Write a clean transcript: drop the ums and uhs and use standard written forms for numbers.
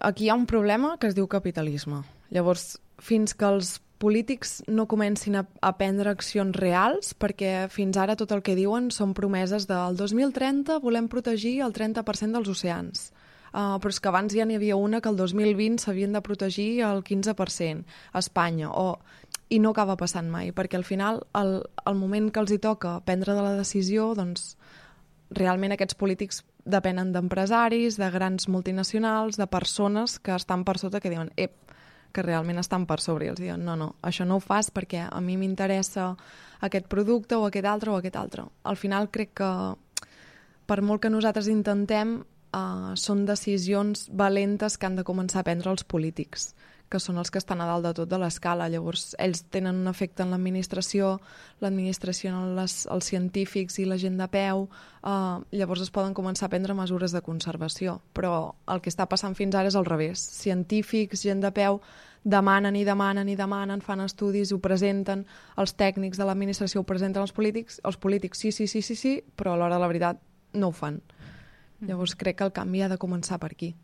Aquí hi ha un problema que es diu capitalisme. Llavors, fins que els polítics no comencin a prendre accions reals, perquè fins ara tot el que diuen són promeses del 2030 volem protegir el 30% dels oceans. Però és que abans ja n'hi havia una que el 2020 s'havien de protegir el 15% a Espanya, i no acaba passant mai, perquè al final, el moment que els hi toca prendre de la decisió, doncs, realment aquests polítics depenen d'empresaris, de grans multinacionals, de persones que estan per sota, que diuen, que realment estan per sobre, i els diuen, no, això no ho fas perquè a mi m'interessa aquest producte o aquest altre o aquest altre. Al final crec que per molt que nosaltres intentem, són decisions valentes que han de començar a prendre els polítics, que són els que estan a dalt de tot de l'escala. Llavors, ells tenen un efecte en l'administració en els científics i la gent de peu, llavors es poden començar a prendre mesures de conservació. Però el que està passant fins ara és al revés. Científics, gent de peu, demanen, fan estudis, ho presenten, els tècnics de l'administració ho presenten als polítics sí, però a l'hora de la veritat no ho fan. Llavors crec que el canvi ha de començar per aquí.